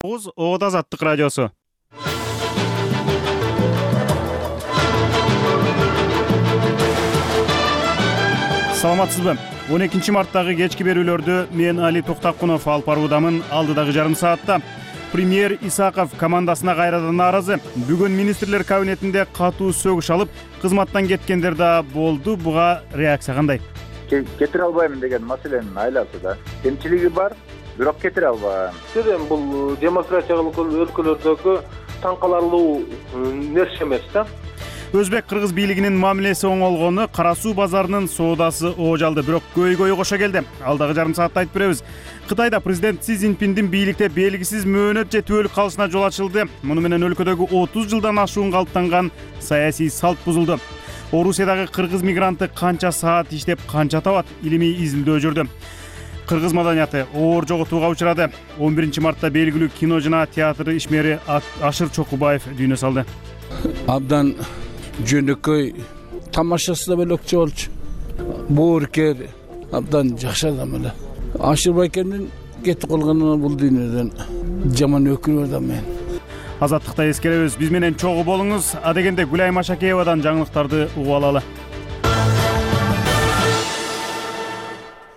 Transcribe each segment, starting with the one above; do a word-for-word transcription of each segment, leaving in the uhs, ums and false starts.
токуз Оот Азаттык радиосу. Саламатсызбы? он экинчи марттагы кечки берүүлөрдү мен Али Токтакунов алып баруудамын. Алдыдагы жарым саатта премьер Исаков командасына кайрадан нааразы. Бүгүн министрлер кабинетинде катуу сөгүш алып, кызматтан кеткендер да болду. Буга реакция кандай? Кетире албайм деген маселенин айласы да. Кемчилиги бар, бирок кетире албайм. Эми бул демократиялык өлкөлөрдөгү таң каларлуу нерсе эмес да. Өзбек кыргыз бийлигинин мамилеси оңолгону, Кара суу базарынын соодасы оожалды, бирок көйгөйү кошо келди. Алдагы жарым саатта айтып беребиз. Кытайда президент Си Цзиньпиндин бийликте белгисиз мөөнөт жетүүлүк калышына жол ачылды. Муну менен өлкөдөгү отуз жылдан ашуун калыптанган саясий салт бузулду. Орусиядагы кыргыз мигранты канча саат иштеп, канча табат? Илимий изилдөө жүрдү. Кыргыз маданияты оор жоготууга учурады. он биринчи мартта белгилүү кино жана театр ишмери Ашыр Чокубаев дүйнө салды. Абдан жөнөкөй, тамашасы да бөлөкчө болчу. Бооркер, абдан жакшы адам эле. Ашыр байкемдин кетип калганына бул дүйнөдөн жаман өкүнүп атам мен. Азаттыкта эскеребиз. Биз менен чогуу болуңуз. Адегенде Гүлай Машакеевадан жаңылыктарды угуп алалы.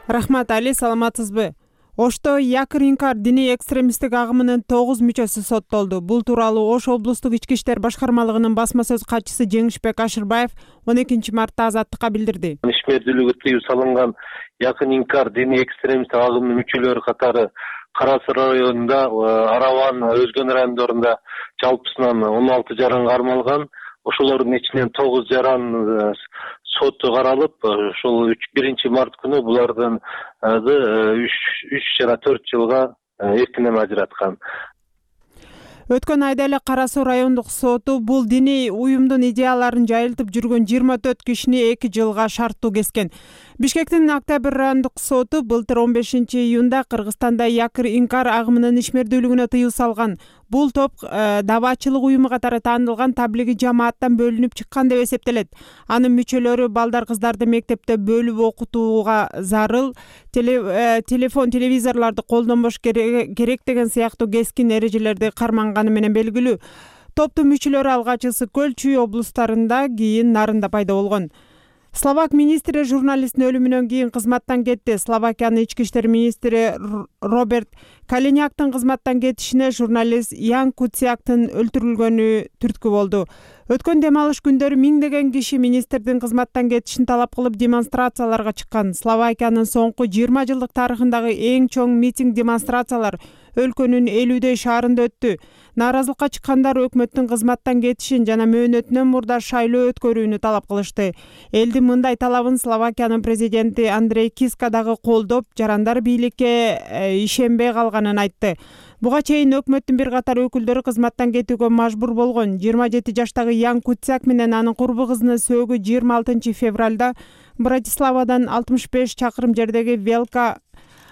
Рахмат, Али, саламатсызбы? Ошто Якыр Инкар диний экстремисттик агымынын тогуз мүчөсү соттолду. Бул тууралуу Ош облустук ички иштер башкармалыгынын басма сөз катчысы Жеңишбек Ашырбаев он экинчи мартта Азаттыкка билдирди. Ишмердүүлүгү тыюу салынган Якыр Инкар диний экстремисттик агымынын мүчөлөрү катары Кара Суу районунда, Араван, Өзгөн райондорунда жалпысынан он алты жаран кармалган. Ошолордун ичинен тогуз жаран соту каралып, ошол биринчи март күнү булардын үч жана төрт жылга эркинен ажыраткан. Өткөн айда эле Кара Суу райондук соту бул диний уюмдун идеяларын жайылтып жүргөн жыйырма төрт кишини эки жылга шарттуу кескен. Бишкектин Октябрь райондук соту былтыр он бешинчи июнда Кыргызстанда Якыр Инкар агымынын ишмердүүлүгүнө тыюу салган. Бул топ дабаачылык уюму катары таанылган таблиги жамааттан бөлүнүп чыккан деп эсептелет. Анын мүчөлөрү балдар кыздарды мектепте бөлүп окутууга зарыл, телефон, телевизорлорду колдонбош керек деген сыяктуу кескин эрежелерди карманганы менен белгилүү. Топтун мүчөлөрү алгач Ысык Көл, Чүй облустарында, кийин Нарында пайда болгон. Словак министри журналисттин өлүмүнөн кийин кызматтан кетти. Словакиянын ички иштер министри Роберт Калиняктын кызматтан кетишине журналист Ян Куцяктын өлтүрүлгөнү түрткү болду. Өткөн дем алыш күндөрү миңдеген киши министрдин кызматтан кетишин талап кылып демонстрацияларга чыккан. Словакиянын соңку жыйырма жылдык тарыхындагы эң чоң митинг демонстрациялар өлкөнүн элүүдөй шаарында өттү. Нааразылыкка чыккандар өкмөттүн кызматтан кетишин жана мөөнөтүнөн мурда шайлоо өткөрүүнү талап кылышты. Элдин мындай талабын Словакиянын президенти Андрей Киска дагы колдоп, жарандар бийликке ишенбей калганын айтты. Буга чейин өкмөттүн бир катар өкүлдөрү кызматтан кетүүгө мажбур болгон. жыйырма жети жаштагы Ян Куцяк менен анын курбу кызынын сөөгү жыйырма алтынчы февралда Братиславадан алтымыш беш чакырым жердеги Велка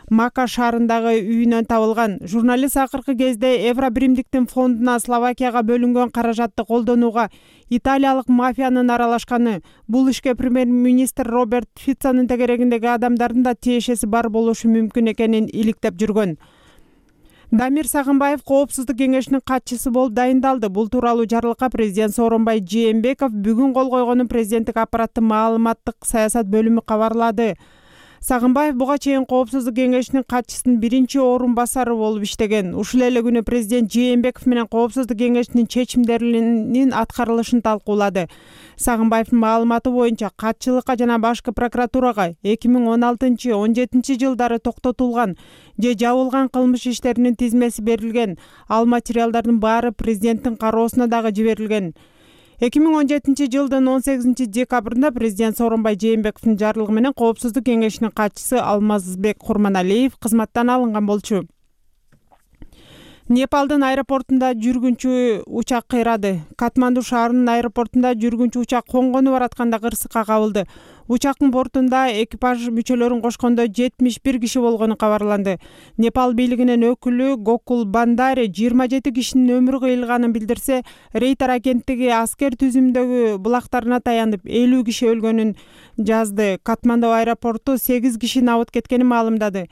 Мака шаарындагы үйүнөн табылган. Журналист акыркы кезде Евробиримдиктин фондуна Словакияга бөлүнгөн каражатты колдонууга италиялык мафиянын аралашканы, бул ишке премьер-министр Роберт Фицонун тегерегиндеги адамдардын да тиешеси бар болушу мүмкүн экенин иликтеп жүргөн. Дамир Сагынбаев Коопсуздук кеңешинин катчысы болуп дайындалды. Бул тууралуу жарлыкка президент Сооронбай Жээнбеков бүгүн кол койгонун президенттик аппараттын маалыматтык саясат бөлүмү кабарлады. Сагынбаев буга чейин Коопсуздук кеңешинин катчысынын биринчи орун басары болуп иштеген. Ушул эле күнү президент Жээнбеков менен Коопсуздук кеңешинин чечимдеринин аткарылышын талкуулады. Сагынбаевдин маалыматы боюнча катчылыкка жана башкы прокуратурага эки миң он алтынчы он жетинчи жылдары токтотулган же жабылган кылмыш иштеринин тизмеси берилген. Ал материалдардын баары президенттин кароосуна дагы жиберилген. эки миң он жетинчи жылдын он сегизинчи декабрында президент Сооронбай Жээнбековдун жарлыгы менен Коопсуздук кеңешинин катчысы Алмазбек Курманалиев кызматтан алынган болчу. Непалдын аэропортунда жүргүнчү учак кыйрады. Катманду шаарынын аэропортунда жүргүнчү учак конгону баратканда кырсыкка кабылды. Учактын бортунда экипаж мүчөлөрүн кошкондо жетимиш бир киши болгону кабарланды. Непал бийлигинин өкүлү Гокул Бандари жыйырма жети кишинин өмүрү кыйылганын билдирсе, Рейтар агенттиги аскер түзүмдөгү булактарына таянып элүү киши өлгөнүн жазды. Катманду аэропорту сегиз киши абыт кеткенин маалымдады.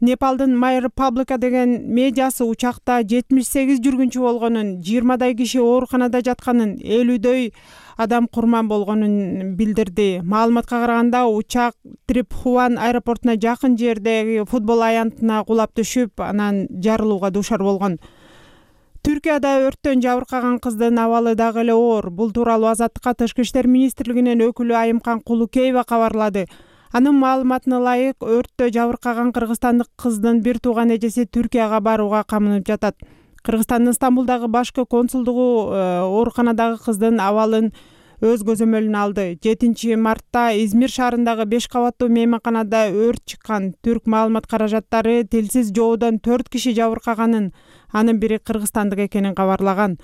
Непалдын My Republica деген медиасы учакта жетимиш сегиз жүргүнчү болгонун, жыйырмадай киши ооруканада жатканын, элүүдөй адам курман болгонун билдирди. Маалыматка караганда учак Трипхуан аэропортуна жакын жердеги футбол аянтына кулап түшүп, анан жарылууга дуушар болгон. Түркияда өрттөн жабыркаган кыздын абалы дагы эле оор. Бул тууралуу Азаттыкка Тышкы иштер министрлигинин өкүлү Айымкан Кулукеева кабарлады. Анын маалыматына ылайык, өрттө жабыркаган кыргызстандык кыздын бир тууган эжеси Түркияга барууга камынып жатат. Кыргызстандын Стамбулдагы башкы консулдугу ооруканадагы кыздын абалын өз көзөмөлүнө алды. жетинчи мартта Измир шаарындагы беш кабаттуу мейманканада өрт чыккан. Түрк маалымат каражаттары тилсиз жоодон төрт киши жабыркаганын, анын бири кыргызстандык экенин кабарлаган.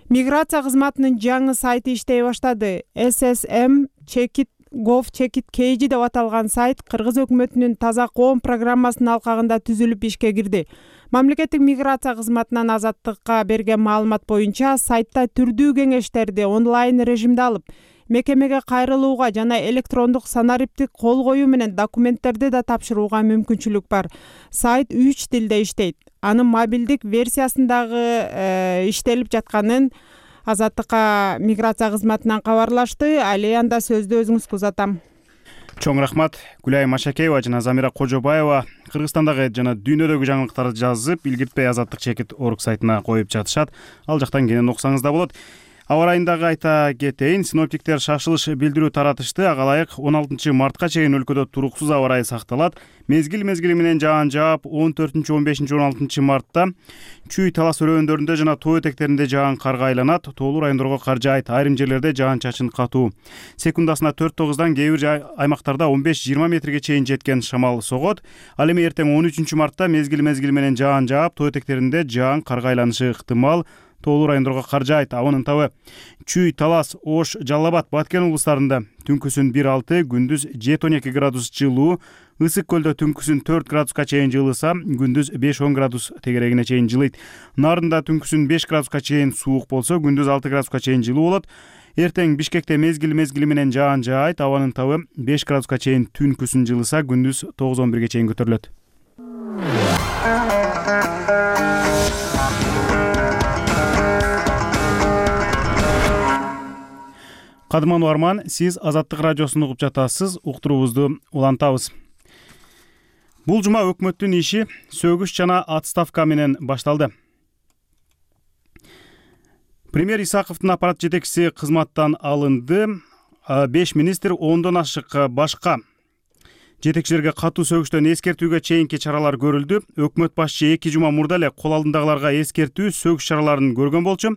Миграция кызматынын жаңы сайты иштей баштады. эс эс эм чекит gov чекит kg деп аталган сайт кыргыз өкмөтүнүн таза коом программасынын алкагында түзүлүп ишке кирди. Мамлекеттик миграция кызматынан Азаттыкка берген маалымат боюнча, сайтта түрдүү кеңештерди онлайн режимде алып, мекемеге кайрылууга жана электрондук санариптик кол коюу менен документтерди да тапшырууга мүмкүнчүлүк бар. Сайт үч тилде иштейт. Анын мобилдик версиясындагы иштелип жатканын Азаттыкка миграция кызматынан кабарлашты. Али анда сөздү өзүңүзгө узатам. Чоң рахмат. Гүлай Машакеева жана Замира Кожобаева Кыргызстандагы жана дүйнөдөгү жаңылыктарды жазып, илгиртпей Азаттык чекит орг сайтына коюп жатышат. Ал жактан кенен окусаңыз да болот. Аба ырайындагы айта кетейин, синоптиктер шашылыш билдирүү таратышты. Ага ылайык он алтынчы мартка чейин өлкөдө туруксуз аба ырайы сакталат. Мезгил мезгили менен жаан жаап, он төртүнчү, он бешинчи, он алтынчы мартта Чүй Талас өрөөндарында жана тоо этектеринде жаан карга айланат. Тоолуу райондорго кар жаайт, айрым жерлерде жаан-чачын катуу. Секундасына төрт тогуздан кээ бир аймактарда он беш жыйырма метрге чейин жеткен шамал согот. Ал эми эртең он үчүнчү мартта мезгил мезгили менен жаан жаап, тоо этектеринде жаан карга айланышы ыктымал. Тоолуу райондорго кар жаайт. Абанын табы Чүй, Талас, Ош, Жалал Абад, Баткен облустарында түнкүсүн бир алты, күндүз жети он эки градус жылуу. Ысык көлдө түнкүсүн төрт градуска чейин жылыса, күндүз беш он градус тегерегине чейин жылыйт. Нарында түнкүсүн беш градуска чейин суук болсо, күндүз алты градуска чейин жылуу болот. Эртең Бишкекте мезгил мезгили менен жаан жаайт. Абанын табы беш градуска чейин түнкүсүн жылыса, күндүз тогуз он бирге чейин көтөрүлөт. Кадырман Арман, сиз Азаттык радиосун угуп жатасыз. Уктуруубузду улантабыз. Бул жума өкмөттүн иши сөгүш жана отставка менен башталды. Премьер Исаковдун аппарат жетекчиси кызматтан алынды. беш министр, ондон ашык башка жетекчилерге катуу сөгүштөн эскертүүгө чейинки чаралар көрүлдү. Өкмөт башчы эки жума мурда эле кол алдындагыларга эскертүү, сөгүш чараларын көргөн болчу.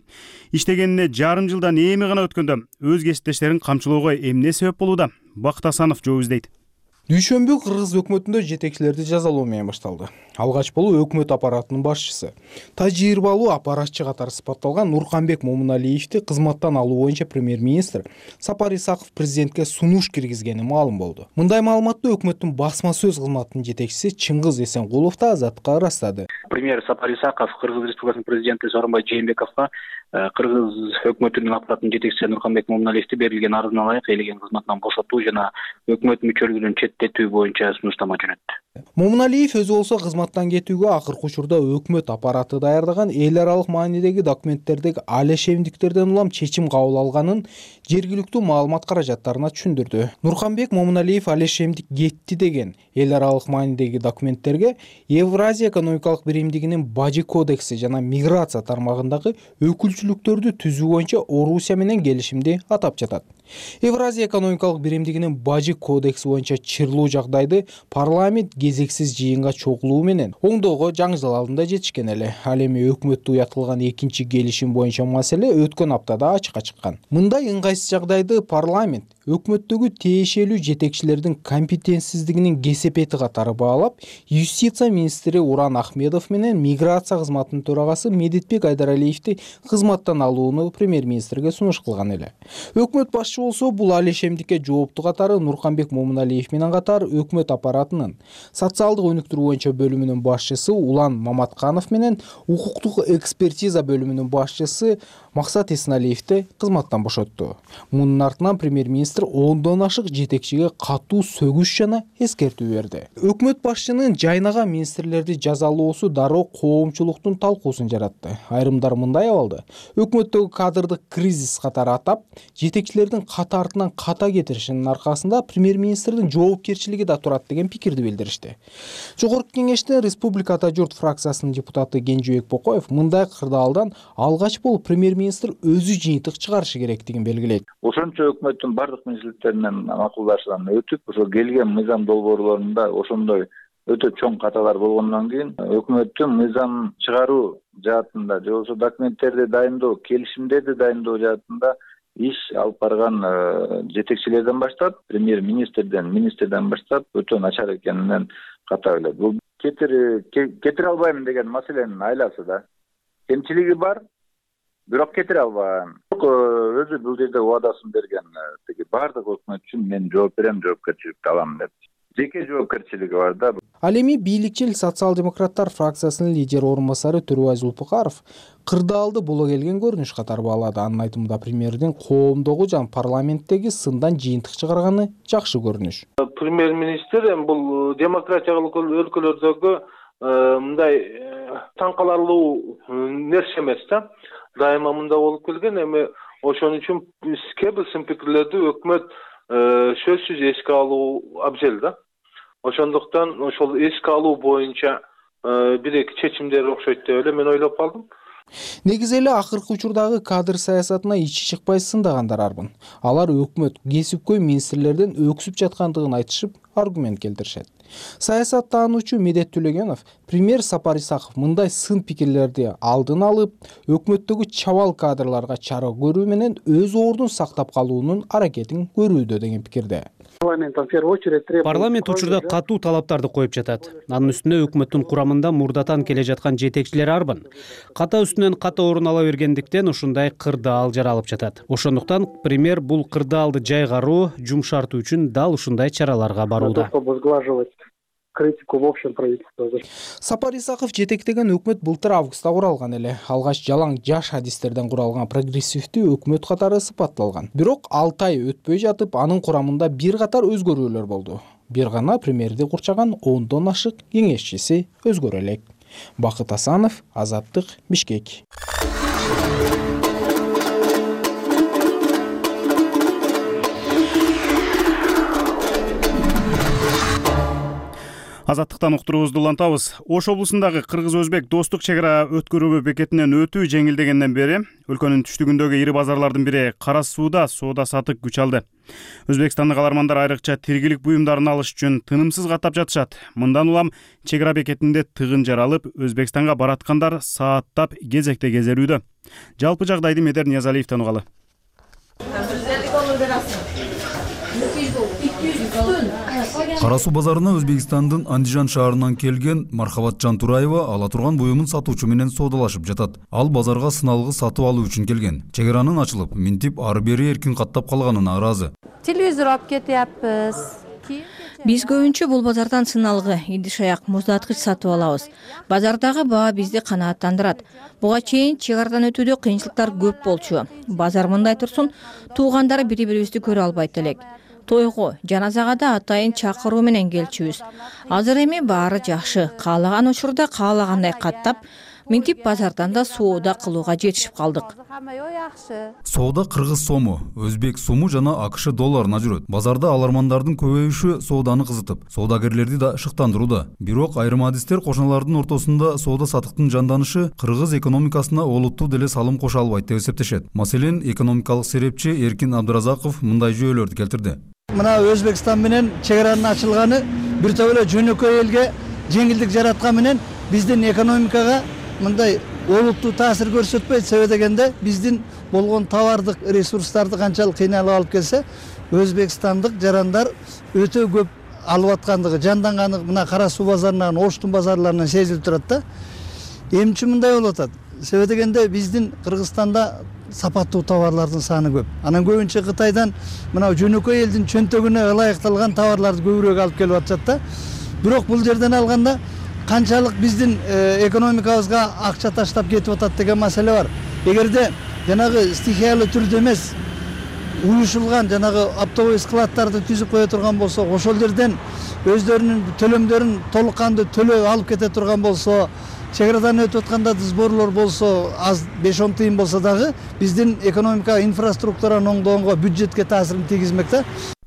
Иштегенине жарым жылдан эми гана өткөндө өз кесиптештерин камчылоого эмне себеп болууда? Бакыт Асанов жооп издейт. Дүйшөмбү Кыргыз өкмөтүндө жетекчилерди жазалоо менен башталды. Алгач болуп өкмөт аппаратынын башчысы, тажрыйбалуу аппаратчы катары сыпатталган Нурканбек Момуналиевди кызматтан алуу боюнча премьер-министр Сапар Исаков президентке сунуш киргизгени маалым болду. Мындай маалыматты өкмөттүн басма сөз кызматынын жетекчиси Чыңгыз Эсенкулов да Азаттыкка ырастады. Премьер Сапар Исаков Кыргыз Республикасынын президенти Сооронбай Жээнбековго Кыргыз өкмөтүнүн аппаратынын жетекчиси Нурканбек Момуналиевди берилген арызына ылайык элеген кызматынан бошотуу жана өкмөт мүчөлүгүнөн четтетүү боюнча сунуштама жөнөттү. Момуналиев өзү болсо кызматтан кетүүгө акыркы учурда өкмөт аппараты даярдаган эл аралык маанидеги документтердеги алешемдиктерден улам чечим кабыл алганын жергиликтүү маалымат каражаттарына түшүндүрдү. Нурканбек Момуналиев алешемдик кетти деген эл аралык маанидеги документтерге Евразия экономикалык биримдигинин Бажы кодекси жана миграция тармагындагы өкүлчүлүктөрдү түзүү боюнча Орусия менен келишимди атап жатат. Евразия экономикалык биримдигинин Бажы кодекси боюнча чырлуу жагдайды парламент кезексиз жыйынга чогулуу менен оңдоого жаңжал алдында жетишкен эле. Ал эми өкмөттө уятылган экинчи келишим боюнча маселе өткөн аптада ачыкка чыккан. Мындай ыңгайсыз жагдайды парламент өкмөттөгү тиешелүү жетекчилердин компетенсиздигинин кесепети катары баалап, юстиция министри Уран Ахмедов менен миграция кызматынын төрагасы Медетбек Айдаралиевди кызматтан алууну премьер-министрге сунуш кылган эле. Өкмөт башчы болсо бул алешемдикке жооптуу катары Нурканбек Момуналиев менен катар өкмөт аппаратынын социалдык өнүктүрүү боюнча бөлүмүнүн башчысы Улан Маматканов менен укуктук экспертиза бөлүмүнүн башчысы Максат Эсеналиевди кызматтан бошотту. Мунун артынан премьер-министр министр ондон ашык жетекчиге катуу сөгүш жана эскертүү берди. Өкмөт башчынын жайнаган министрлерди жазалоосу дароо коомчулуктун талкуусын жаратты. Айрымдар мындай абалды өкмөттөгү кадрдык кризис катары атап, жетекчилердин ката артынан ката кетиришинин аркасында премьер-министрдин жоопкерчилиги да турат деген пикирди билдиришти. Жогорку кеңештин Республика Ата журт фракциясынын депутаты Кенжебек Бокоев мындай кырдаалдан алгач болуп премьер-министр өзү жыйынтык чыгарышы керектигин белгилейт. Ошончо өкмөттүн бардык министрликтеринен макулдашуудан өтүп, ошо келген мыйзам долбоорлорунда ошондой өтө чоң каталар болгондон кийин өкмөттүн мыйзам чыгаруу жаатында же болбосо документтерди дайындоо, келишимдерди дайындоо жаатында иш алып барган жетекчилерден баштап, премьер-министрден, министрден баштап өтө начар экенинен ката билет. Бул кетире кетире албайм деген маселенин айласы да. Кемчилиги бар, бирок кетире албайм. Өзү бул жерде убадасын берген, тиги бардык өкмөт үчүн мен жооп берем, жоопкерчиликти алам деп. Жеке жоопкерчилиги бар да. Ал эми бийликчил социал-демократтар фракциясынын лидер орун басары Төрөбай Зулпукаров кырдаалды боло келген көрүнүш катары баалады. Анын айтымында премьердин коомдогу жана парламенттеги сындан жыйынтык чыгарганы жакшы көрүнүш. Премьер-министр эми бул демократиялык өлкөлөрдөгү мындай таң каларлуу нерсе эмес да. Дайыма мында болуп келген, эми ошон үчүн кээ бир сын пикирлерди өкмөт сөзсүз эске алуу абзел да. Ошондуктан ошол эске алуу боюнча бир эки чечимдер окшойт деп эле мен ойлоп калдым. Негизи эле акыркы учурдагы кадр саясатына ичи чыкпай сындагандар арбын. Алар өкмөт кесипкөй министрлерден өксүп жаткандыгын айтышып, аргумент келтиришет. Саясаттануучу Медет Төлөгенов премьер Сапар Исаков мындай сын пикирлерди алдын алып, өкмөттөгү чабал кадрларга чара көрүү менен өз ордун сактап калуунун аракетин көрүүдө деген пикирде. Парламент учурда катуу талаптарды коюп жатат. Анын үстүнө өкмөттүн курамында мурдатан келе жаткан жетекчилер арбын. Ката үстүнөн ката орун ала бергендиктен ушундай кырдаал жаралып жатат. Ошондуктан премьер бул кырдаалды жайгаруу, жумшартуу үчүн дал ушундай чараларга барууда. Критику в общем правительства. Сапар Исаков жетектеген өкмөт былтыр августта куралган эле. Алгач жалаң жаш адистерден куралган прогрессивдүү өкмөт катары сыпатталган. Бирок алты ай өтпөй жатып, анын курамында бир катар өзгөрүүлөр болду. Бир гана премьерди курчаган ондон ашык кеңешчиси өзгөрө элек. Бакыт Асанов, Азаттык, Бишкек. Азаттыктан уктуруубузду улантабыз. Ош облусундагы кыргыз-өзбек достук чек ара өткөрүү бекетинен өтүү жеңилдегенден бери өлкөнүн түштүгүндөгү ири базарлардын бири Кара сууда соода сатык күч алды. Өзбекстандык алармандар айрыкча тиргилик буюмдарын алыш үчүн тынымсыз каттап жатышат. Мындан улам чек ара бекетинде тыгын жаралып, Өзбекстанга бараткандар сааттап кезекте кезерүүдө. Жалпы жагдайды Медер Ниязалиевден угалы. Кара суу базарына Өзбекстандын Андижан шаарынан келген Мархабатжан Тураева ала турган буюмун сатуучу менен соодалашып жатат. Ал базарга сыналгы сатып алуу үчүн келген. Чек аранын ачылып, минтип ары бери эркин каттап калганына ыраазы. Телевизор алып кетиаппыз. Биз көбүнчө бул базардан сыналгы, идиш аяк, муздаткыч сатып алабыз. Базардагы баа бизди канааттандырат. Буга чейин чек арадан өтүүдө кыйынчылыктар көп болчу. Базар мындай турсун, туугандары бири-бирибизди көрө албайт элек. Тойго, жаназага да атайын чакыруу менен келчүбүз. Азыр эми баары жакшы. Каалаган учурда каалагандай каттап, минтип базардан да соода кылууга жетишип калдык. Соода кыргыз сому, өзбек суму жана АКШ долларына жүрөт. Базарда алармандардын көбөйүшү сооданы кызытып, соодагерлерди да шыктандырууда. Бирок айрым адистер кошуналардын ортосунда соода сатыктын жанданышы кыргыз экономикасына олуттуу деле салым кошо албайт деп эсептешет. Маселен, экономикалык серепчи Эркин Абдыразаков мындай жүйөлөрдү келтирди. Мына Өзбекстан менен чек аранын ачылганы бир топ эле жөнөкөй элге жеңилдик жараткан менен биздин экономикага мындай олуттуу таасир көрсөтпөйт. Себеби дегенде биздин болгон товардык ресурстарды канчалык кыйналып алып келсе, өзбекстандык жарандар өтө көп алып аткандыгы, жанданганы мына Кара суу базарынан, Оштун базарларынан сезилип турат да. Эмчи мындай болуп атат? Себеби дегенде биздин Кыргызстанда сапаттуу товарлардын саны көп. Анан көбүнчө Кытайдан мына жөнөкөй элдин чөнтөгүнө ылайыкталган товарларды көбүрөөк алып келип атышат да. Бирок бул жерден алганда канчалык биздин экономикабызга акча таштап кетип атат деген маселе бар. Эгерде жанагы стихиялуу түрдө эмес, уюшулган жанагы оптовый складдарды түзүп кое турган болсок, ошол жерден өздөрүнүн төлөмдөрүн толук кандуу төлөп алып кете турган болсо, чек арадан өтүп атканда сборлор болсо аз беш он тыйын болсо дагы биздин экономика инфраструктуранын оңдогонго, бюджетке таасирин тийгизмек да.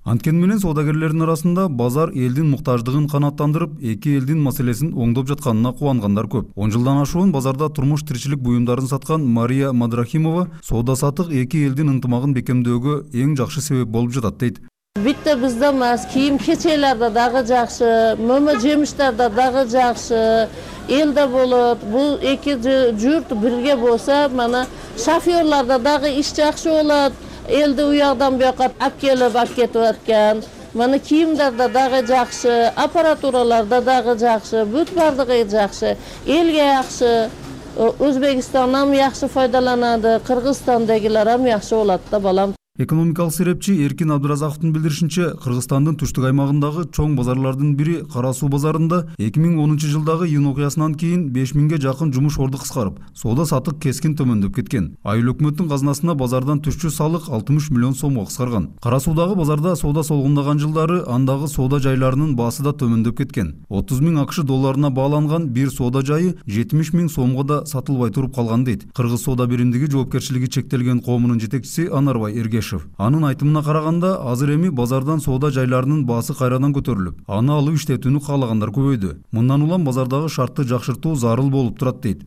Анткени менен соодагерлердин арасында базар элдин муктаждыгын канааттандырып, эки элдин маселесин оңдоп жатканына кубангандар көп. он жылдан ашуун базарда турмуш тиричилик буюмдарын саткан Мария Мадрахимова соода саттык эки элдин ынтымагын бекемдөөгө эң жакшы себеп болуп жатат дейт. Битте бизде эмес, кийим кечелерде дагы жакшы, мөмө жемиштерде дагы жакшы, элде болот. Бул эки журт бирге болсо, мана шофёрларда дагы иш жакшы болот. Элди уягдан буяка алып келип, алып кетип аткан. Мана кийимдерде дагы жакшы, аппаратураларда дагы жакшы, бүт бардыгы жакшы. Элге жакшы, Өзбекстандан жакшы файдаланады, Кыргызстандагылар ham жакшы болот да балам. Экономикалык серепчи Эркин Абдыразаковдун билдиришинче, Кыргызстандын түштүк аймагындагы чоң базарлардын бири Кара Суу базарында эки миң онунчу жылдагы июнь окуясынан кийин беш миңге жакын жумуш орду кыскарып, соода саттык кескин төмөндөп кеткен. Айыл өкмөттүн казынасына базардан түшчү салык алтымыш миллион сомго кыскарган. Кара Суудагы базарда соода солгундаган жылдары андагы соода жайларынын баасы да төмөндөп кеткен. отуз миң акш долларына бааланган бир соода жайы жетимиш миң сомго да сатылбай туруп калган дейт. Кыргыз соода биримдиги жоопкерчилиги чектелген коомунун жетекчиси Анарбай Эргешев. Анын айтымына караганда, азыр эми базардан соода жайларынын баасы кайрадан көтөрүлүп, аны алып иштетүүнү каалагандар көбөйдү. Мындан улам базардагы шартты жакшыртуу зарыл болуп турат дейт.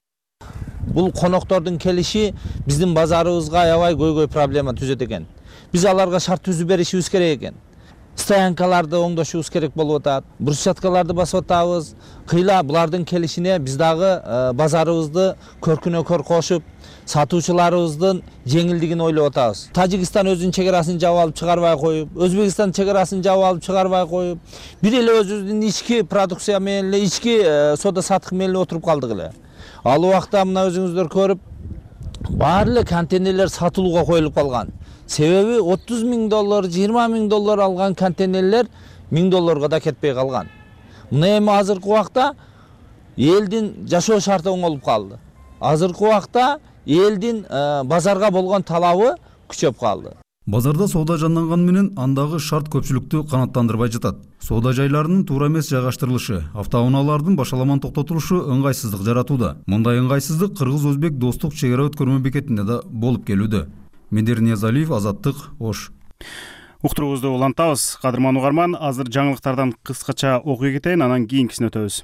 Бул коноктордун келиши биздин базарыбызга аябай көйгөй проблема түзөт экен. Биз аларга шарт түзүп беришибиз керек экен. Стоянкаларды оңдошубуз керек болуп атат, брусчаткаларды басып атабыз. Кыйла булардын келишине биз дагы базарыбызды көркүнө көр кошуп, сатуучуларыбыздын жеңилдигин ойлоп атабыз. Тажикстан өзүнүн чек арасын жаап алып чыгарбай коюп, Өзбекстан чек арасын жаап алып чыгарбай коюп, бир эле өзүбүздүн ички продукция менен эле, ички соода саттык менен эле отуруп калдык эле. Ал убакта мына өзүңүздөр көрүп, баары эле контейнерлер сатылууга коюлуп калган. Себеби отуз миң доллар, жыйырма миң доллар алган контейнерлер миң долларга да кетпей калган. Мына эми азыркы убакта элдин жашоо шарты оңолуп калды. Азыркы убакта элдин базарга болгон талабы күчөп калды. Базарда соода жанданган менен андагы шарт көпчүлүктү канааттандырбай жатат. Соода жайларынын туура эмес жайгаштырылышы, автоунаалардын башаламан токтотулушу ыңгайсыздык жаратууда. Мындай ыңгайсыздык Кыргыз-Өзбек достук чек ара өткөрмө бекетинде да болуп келүүдө. Медер Ниязалиев, Азаттык, Ош. Уктуруубузду улантабыз. Кадырман угарман, азыр жаңылыктардан кыскача окуя кетейин, анан кийинкисине өтөбүз.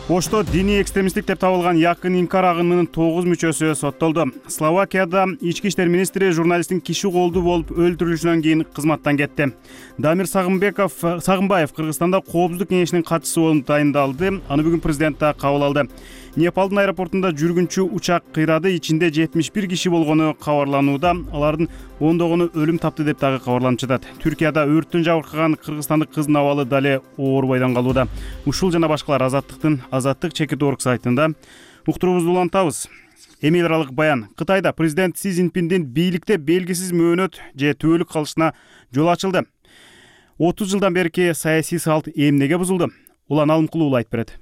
Ошто диний экстремисттик деп табылган Якын Инкар агымынын тогуз мүчөсү соттолду. Словакияда ички иштер министри журналисттин киши колдуу болуп өлтүрүлүшүнөн кийин кызматтан кетти. Дамир Сагынбеков, Сагынбаев Кыргызстанда коопсуздук кеңешинин катчысы болуп тайындалды. Аны бүгүн президент да кабыл алды. Непалдын аэропортунда жүргүнчү учак кыйрады, ичинде жетимиш бир киши болгону кабарланууда. Алардын ондогону өлүм тапты деп дагы кабарланып жатат. Түркияда өрттөн жабыркаган кыргызстандык кыздын абалы дале оорубайдан калууда. Ушул жана башкалар Азаттыктын Азаттык чекит орг сайтында. Уктуруубузду улантабыз. Эми эл аралык баян. Кытайда президент Си Цзиньпиндин бийликте белгисиз мөөнөт же түбөлүк калышына жол ачылды. отуз жылдан берки саясий салт эмнеге бузулду? Улан Алымкулуу айтып берет.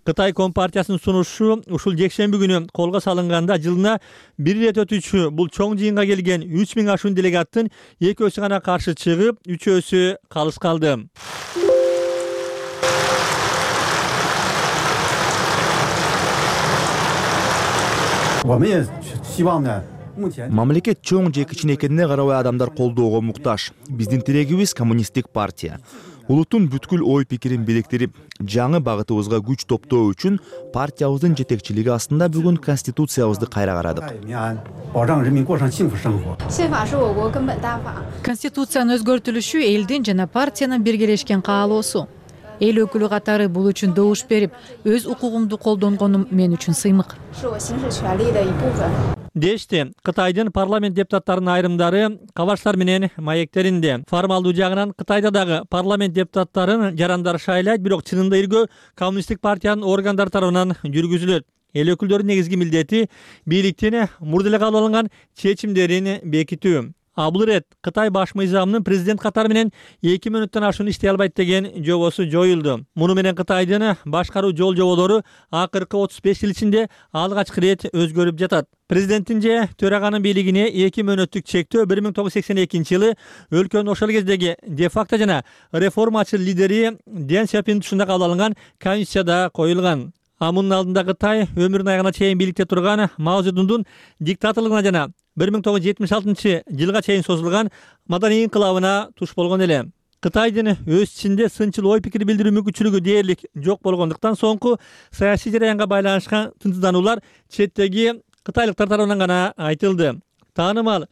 Кытай Компартиясынын сунушу ушул жекшемби күнү колго салынганда жылына бир ирет өтүүчү бул чоң жыйынга келген үч миң ашуун делегаттын экөөсү гана каршы чыгып, үчөөсү калыс калды. Мамлекет чоң же кичинекенине карабай адамдар колдоого муктаж. Биздин тилегибиз коммунисттик партия. Улуттун бүткүл ой пикирин бириктирип, жаңы багытыбызга күч топтоо үчүн партиябыздын жетекчилиги астында бүгүн конституциябызды кайра карадык. Конституциянын өзгөртүлүшү элдин жана партиянын биргелешкен каалоосу. Эл өкүлү катары бул үчүн добуш берип, өз укугумду колдонгонум мен үчүн сыймык. Дешти, Кытайдын парламент депутаттарынын айрымдары кабарчтар менен маектеринде. Формалдуу жагынан Кытайда дагы парламент депутаттарын жарандары шайлайт, бирок чынында иргөө коммунисттик партиянын органдары тарабынан жүргүзүлөт. Эл өкүлдөрүнүн негизги милдети бийликтин мурда эле кабыл алынган чечимдерин бекитүү. А бул ирет Кытай баш мыйзамынын президент катары менен эки мүнөттөн ашуун иштей албайт деген жобосу жоюлду. Муну менен Кытайдын башкаруу жол жоболору акыркы отуз беш жыл ичинде алгачкы ирет өзгөрүп жатат. Президенттин же төраганын бийлигине эки мөөнөттүк чектөө бир миң тогуз жүз сексен экинчи жылы өлкөнүн ошол кездеги де-факто жана реформачы лидери Дэн Сяопин тушунда кабыл алынган конституцияда коюлган. А мунун алдында Кытай өмүрүнүн аягына чейин бийликте турган Мао Цзэдундун диктаторлугуна жана бир миң тогуз жүз жетимиш алтынчы жылга чейин созулган маданий инкылабына туш болгон эле. Кытайдын өз ичинде сынчыл ой пикир билдирүү мүмкүнчүлүгү дээрлик жок болгондуктан соңку саясий жараянга байланышкан тынчсыздануулар четтеги кытайлыктар тарабынан гана айтылды. Таанымал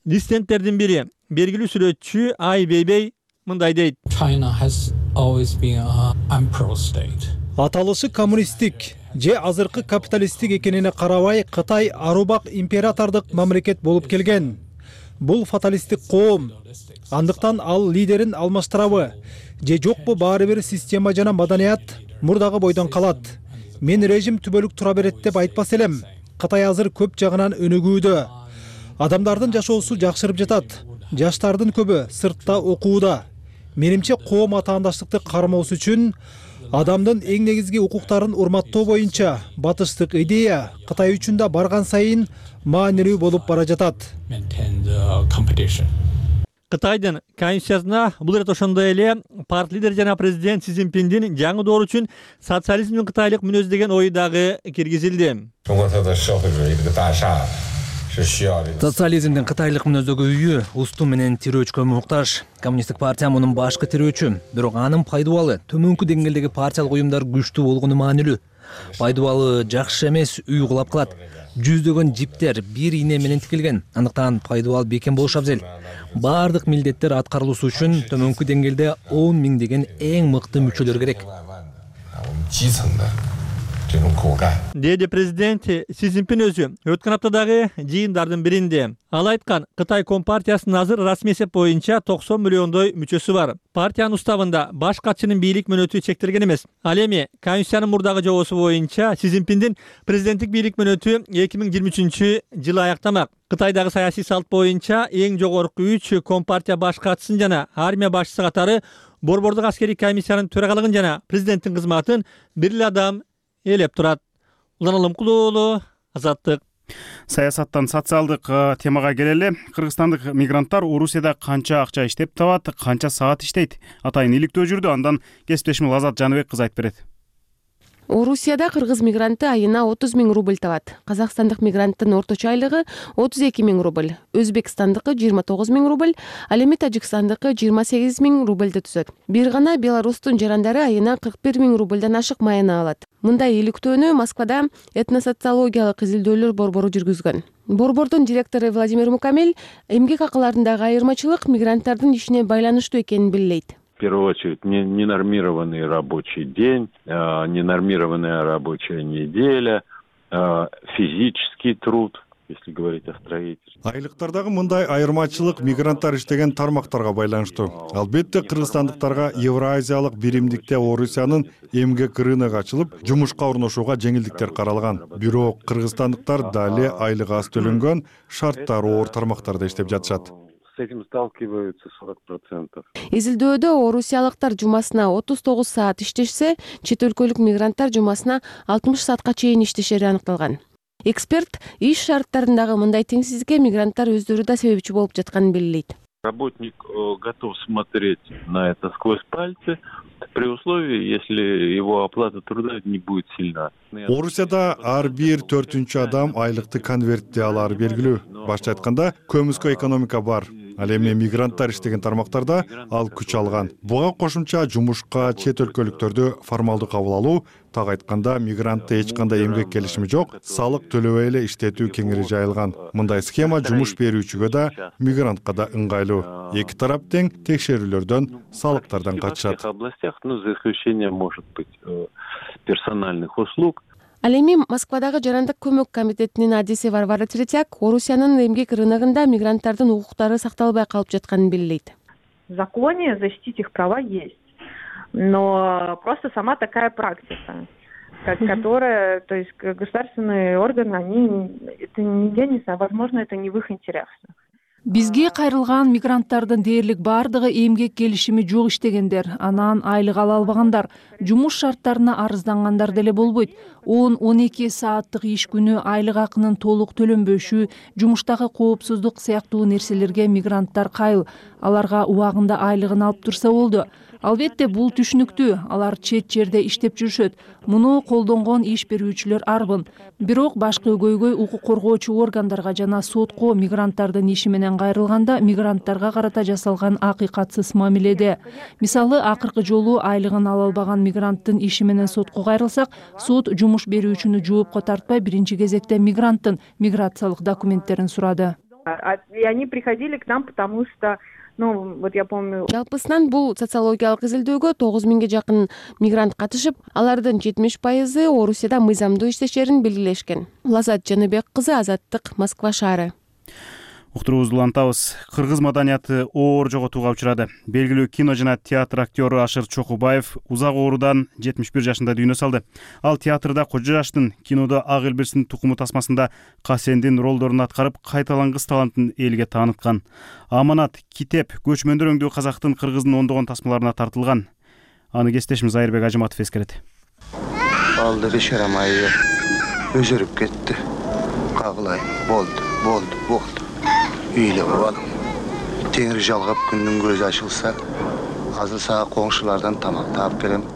диссиденттердин бири, белгилүү сүрөтчү Ай Вейвей мындай дейт. Аталышы коммунисттик же азыркы капиталисттик экенине карабай, Кытай арубак императордук мамлекет болуп келген. Бул фаталисттик коом. Андыктан ал лидерин алмаштырабы же жокпу баары бир система жана маданият мурдагы бойдон калат. Мен режим түбөлүк тура берет деп айтпас элем. Кытай азыр көп жагынан өнүгүүдө. Адамдардын жашоосу жакшырып жатат. Жаштардын көбү сыртта окууда. Менимче коом атаандаштыкты кармоосу үчүн адамдын эң негизги укуктарын урматтоо боюнча батыштык идея Кытай үчүн да барган сайын маанилүү болуп бара жатат. Кытайдын конституциясына бул ирет ошондой эле парт лидер жана президент Си Цзиньпиндин жаңы доор үчүн социализмдин кытайлык мүнөзү деген ою дагы киргизилди. Социализмдин кытайлык мүнөздөгү үйү усту менен тирөөчкө муктаж. Коммунисттик партия мунун башкы тирөөчү, бирок анын пайдубалы төмөнкү деңгээлдеги партиялык уюмдар күчтүү болгону маанилүү. Пайдубалы жакшы эмес үй кулап калат. Жүздөгөн жиптер бир ийне менен тикилген. Андыктан пайдубал бекем болуш абзел. Бардык милдеттер аткарылышы үчүн төмөнкү деңгээлде он миң деген эң мыкты мүчөлөр керек. Деди президент Си Цзиньпин өзү өткөн аптадагы жыйындардын биринде. Ал айткан, Кытай Компартиясынын азыр расмий эсеп боюнча токсон миллиондой мүчөсү бар. Партиянын уставында баш катчынын бийлик мөөнөтү чектелген эмес. Ал эми конституциянын мурдагы жобосу боюнча Си Цзиньпиндин президенттик бийлик мөөнөтү эки миң жыйырма үчүнчү жылы аяктамак. Кытайдагы саясий салт боюнча эң жогорку үч Компартия баш катчысын жана армия башчысы катары борбордук аскерий комиссиянын төрагалыгын жана президенттин кызматын бир эле адам ээлеп турат. Улан Алымкулуу уулу, Азаттык. Саясаттан социалдык темага келели. Кыргызстандык мигранттар Орусияда канча акча иштеп табат, канча саат иштейт? Атайын иликтөө жүрдү. Андан кесиптешим Азат Жаныбек кыз айтып берет. Орусияда кыргыз мигранты айына отуз миң рубль табат. Казакстандык мигранттын орточо айлыгы отуз эки миң рубль, Өзбекстандыкы жыйырма тогуз миң рубль, ал эми Тажикстандыкы жыйырма сегиз миң рубльди түзөт. Бир гана Беларустун жарандары айына кырк бир миң рубльдан ашык майына алат. Мындай иликтөөнү Москвада этносоциологиялык изилдөөлөр борбору жүргүзгөн. Борбордун директору Владимир Мукамель эмгек акыларындагы айырмачылык мигранттардын ишине байланыштуу экенин белгилейт. В первую очередь, ненормированный рабочий день, ненормированная рабочая неделя, физический труд, если говорить о строительстве. Айлыктардагы мындай айырмачылык мигранттар иштеген тармактарга байланыштуу. Албетте кыргызстандыктарга Евразиялык биримдикте Орусиянын эмгек рыногу ачылып, жумушка орношууга жеңилдиктер каралган. Бирок кыргызстандыктар дали айлыгы аз төлөнгөн, шарттары оор тармактарда иштеп жатышат. С этим сталкиваются сорок процентов. Изилдөөдө орусиялыктар жумасына отуз тогуз саат иштешсе, чет өлкөлүк мигранттар жумасына алтымыш саатка чейин иштешери аныкталган. Эксперт иш шарттарындагы мындай теңсиздикке мигранттар өздөрү да себепчи болуп жатканын белгилейт. Работник готов смотреть на это сквозь пальцы, при условии, если его оплата труда не будет сильна. Орусияда ар бир төртүнчү адам айлыкты конвертте алары белгилүү. Башта айтканда, көмүскө экономика бар. Ал эми мигранттар иштеген тармактарда ал күч алган. Буга кошумча жумушка чет өлкөлүктөрдү формалдуу кабыл алуу, так айтканда мигрантты эч кандай эмгек келишими жок, салык төлөбөй эле иштетүү кеңири жайылган. Мындай схема жумуш берүүчүгө да, мигрантка да ыңгайлуу. Эки тарап тең текшерүүлөрдөн, салыктардан качышат. В областях, ну, за исключением, может быть, персональных услуг. Ал эми Москвадагы жарандык көмөк комитетинин адиси Варвара Третьяк Орусиянын эмгек рыногунда мигранттардын укуктары сакталбай калып жатканын белгилейт. В законе защитить их права есть, но просто сама такая практика, которая, то есть государственные органы, они это нигде не, возможно, это не в их интересах. Бизге кайрылган мигранттардын дээрлик баардыгы эмгек келишими жок иштегендер, анан айлык ала албагандар, жумуш шарттарына арыздангандар деле болбойт. он он эки сааттык иш күнү айлык акынын толук төлөнбөшү, жумуштагы коопсуздук сыяктуу нерселерге мигранттар кайыл. Аларга убагында айлыгын алып турса болду. Албетте бул түшүнүктүү, алар чет жерде иштеп жүрүшөт. Муну колдонгон иш берүүчүлөр арбын. Бирок башкы өгөйгөй укук коргоочу органдарга жана сотко мигранттардын иши менен кайрылганда мигранттарга карата жасалган акыйкатсыз мамиледе. Мисалы, акыркы жолу айлыгын ала албаган мигранттын иши менен сотко кайрылсак, сот жумуш берүүчүнү жоопко тартпай биринчи кезекте мигранттын миграциялык документтерин сурады. И они приходили к нам, потому что Ну, вот я помню. Жалпысынан бул социологиялык изилдөөгө тогуз миңге жакын мигрант катышып, алардын жетимиш пайызы Орусияда мыйзамдуу иштешерин белгилешкен. Лазат Жаныбек кызы, Азаттык, Москва шаары. Уктуруубузду улантабыз. Кыргыз маданияты оор жоготууга учурады. Белгилүү кино жана театр актёру Ашыр Чокубаев узак оорудан жетимиш бир жашында дүйнө салды. Ал театрда Кожо жаштын, кинодо Ак Элбирстин тукуму тасмасында Касендин ролдорун аткарып, кайталангыс талантын элге тааныткан. Аманат, Китеп, көчмөндөр өңдүү казактын, кыргыздын ондогон тасмаларына тартылган. Аны кесиптешimiz Айырбек Ажыматов эскерет. Алды бешарам айыр, өзөрүп кетти. Кагылай, болду, болду, болду. Үйлі балым. Теңір жалғап күннің көзі ашылса, азыр саға коңшулардан тамак таап келем.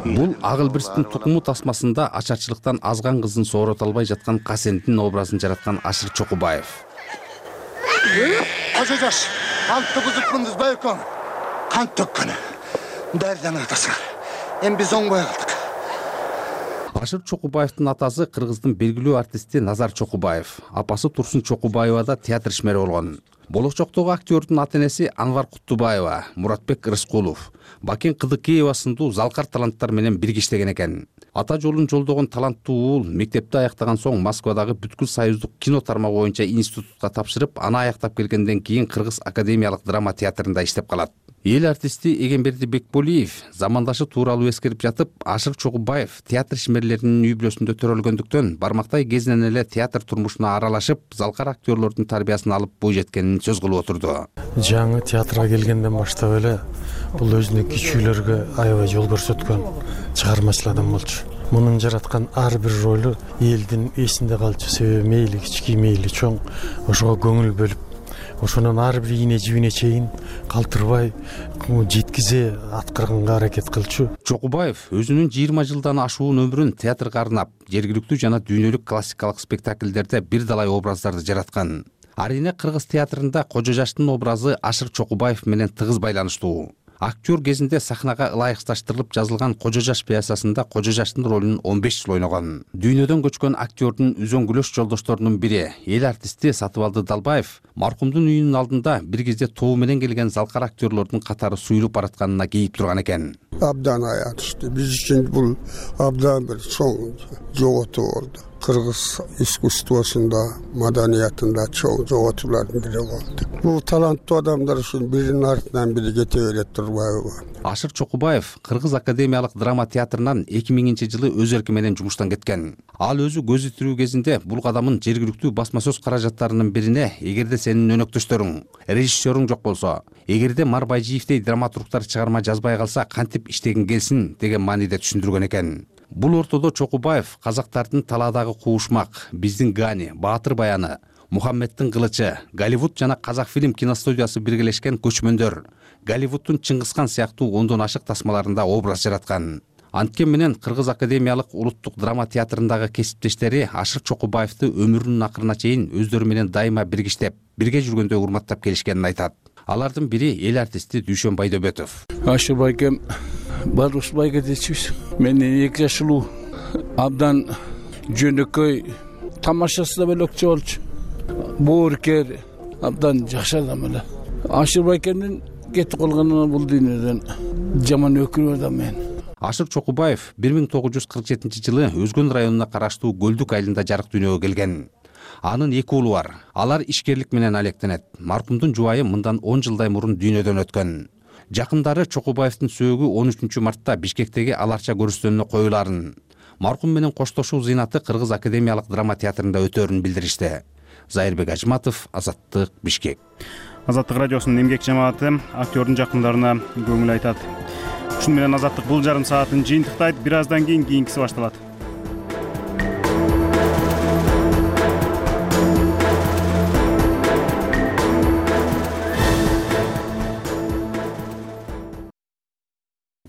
Бул Ак Элбирстин тукуму тасмасында ачарчылыктан азган кызын соорото албай жаткан Касендин образын жараткан Ашыр Чокубаев. Кожо жаш, кантты бузупмундуз байкон. Кант төккөнү. Дардан атасыңар. Эми биз оңбой калдык. Ашыр Чокубаевдин атасы кыргыздын белгилүү артисти Назар Чокубаев, апасы Турсун Чокубаева да театр ишмери болгон. Болочоктогу актёрдун ата-энеси Анвар Куттубаева, Муратбек Рыскулов, Бакен Кыдыкеева сындуу залкар таланттар менен бирге иштеген экен. Ата жолун жолдогон таланттуу уул мектепти аяктаган соң Москвадагы бүткүл союздук кино тармагы боюнча институтка тапшырып, аны аяктап келгенден кийин Кыргыз академиялык драма театрында иштеп калат. Эл артисти Эгемберди Бекболиев замандашы тууралуу эскерип жатып, Ашыр Чокубаев театр ишмерлеринин үй бүлөсүндө төрөлгөндүктөн бармактай кезинен эле театр турмушуна аралашып, залкар актёрлордун тарбиясын алып бой жеткенин сөз кылып отурду. Жаңы театрга келгенден баштап эле бул өзүнүн кичүүлөргө аябай жол көрсөткөн чыгармачыл адам болчу. Мунун жараткан ар бир ролу элдин эсинде калчу, себеби мейли кички мейли чоң ошого көңүл бөлүп, ошонун ар бир ийне жибине чейин калтырбай жеткизе аткарганга аракет кылчу. Чокубаев өзүнүн жыйырма жылдан ашуун өмүрүн театрга арнап, жергиликтүү жана дүйнөлүк классикалык спектакльдерде бир далай образдарды жараткан. Арине кыргыз театрында Кожо жаштын образы Ашыр Чокубаев менен тыгыз байланыштуу. Актер кезинде сахнага ылайыкташтырылып жазылган Кожо жаш пьесасында Кожо жаштын ролун он беш жыл ойногон. Дүйнөдөн көчкөн актёрдун үзөңгүлөш жолдошторунун бири, эл артисти Сатыбалды Далбаев, маркумдун үйүнүн алдында бир кезде тобу менен келген залкар актёрлордун катары суюлуп баратканына кейип турган экен. Абдан аянычтуу. Биз үчүн бул абдан бир чоң жоготуу болду. Кыргыз искусствосунда, маданиятында чоң жоготуулардын бири болду. Бул таланттуу адамдар үчүн биринин артынан бири кете берет турбайбы? Ашыр Чокубаев Кыргыз академиялык драма театрынан эки миңинчи жылы өз эрки менен жумуштан кеткен. Ал өзү көз тирүү кезинде бул кадамын жергиликтүү басма сөз каражаттарынын бирине, эгерде сенин өнөктөштөрүң, режиссерүң жок болсо, эгерде Марбайжиевдей драматургтар чыгарма жазбай калса кантип иштегин келсин деген мааниде түшүндүргөн экен. Бул ортодо Чокубаев казактардын талаадагы куушмак, биздин Гани, Баатыр баяны, Мухаммедтин кылычы, Голливуд жана Казакфильм киностудиясы биргелешкен Көчмөндөр, Голливудтун Чыңгызхан сыяктуу ондон ашык тасмаларында образ жараткан. Анткени менен Кыргыз академиялык улуттук драма театрындагы кесиптештери Ашыр Чокубаевди өмүрүнүн акырына чейин өздөрү менен дайыма бирге иштеп, бирге жүргөндө урматтап келишкенин айтат. Алардын бири эл артисти Дүйшөн Байдөбөтов. Ашыр байкем Барус байга дечүбүз. Менден эки жаш улуу, абдан жөнөкөй, тамашасы да бөлөкчө болчу. Бооркер, абдан жакшы адам эле. Ашыр байкемдин кетип калганына бул дүйнөдөн жаман өкүнүп атам мен. Ашыр Чокубаев бир миң тогуз жүз кырк жетинчи жылы Өзгөн районуна караштуу Көлдүк айылында жарык дүйнөгө келген. Анын эки уулу бар. Алар ишкерлик менен алектенет. Маркумдун жубайы мындан он жылдай мурун дүйнөдөн өткөн. Жакындары Чокубаевдин сөөгү он үчүнчү мартта Бишкектеги Аларча көрүстөнүнө коюларын, маркум менен коштошуу зыйнаты Кыргыз академиялык драма театрында өтөөрүн билдиришти. Зайырбек Ажматов, Азаттык, Бишкек. Азаттык радиосунун эмгек жамааты актёрдун жакындарына көңүл айтат. Ушуну менен Азаттык бул жарым саатын жыйынтыктайт. Бир аздан кийин кийинкиси башталат.